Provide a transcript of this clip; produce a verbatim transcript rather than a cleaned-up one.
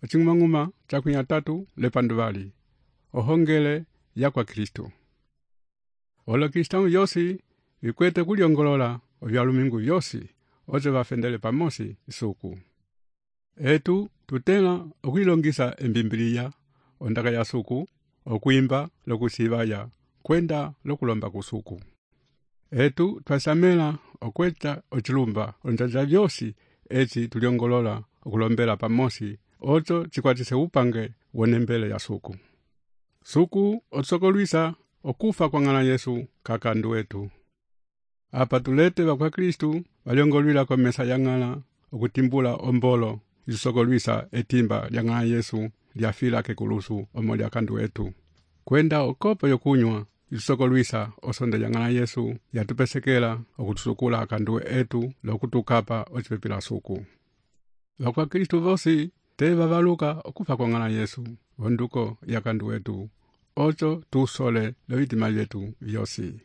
ocing'umang'uma cakunya tatu lepanduvali, ohongele ya kwa Kristo. Olo Kristau yosi vikwete kuliongolola ovyalumingu vyosi, oze vafendele pamosi isuku. Etu tutela okwilongisa embimbilia, ondaka ya suku, okwimba lokusivaya, kwenda lokulomba kusuku. Etu twasamela okweta ochilumba, onjaja vyosi, eti tuliongolola okulombela pamosi, ozo chikwatise upange wonembele ya suku. Suku otsokolwisa okufa kwa ng'ana Yesu kakandu wetu. Apa tulete wakwa Kristu waliongolwila kwa mesa ya ng'ala okutimbula ombolo isokolwisa etimba lya ng'ana Yesu lyafila kekulusu omo lya kandu wetu. Kwenda okopo yokunywa isokolwisa osonde ya ng'ana Yesu yatupesekela okutusukula akandu etu lokutukapa ochipepila suku. Wakwa Kristu vosi te vavaluka okufa kwa ng'ana Yesu onduko ya kandu wetu. Ocho tusole lo vitima vyetu vyosi.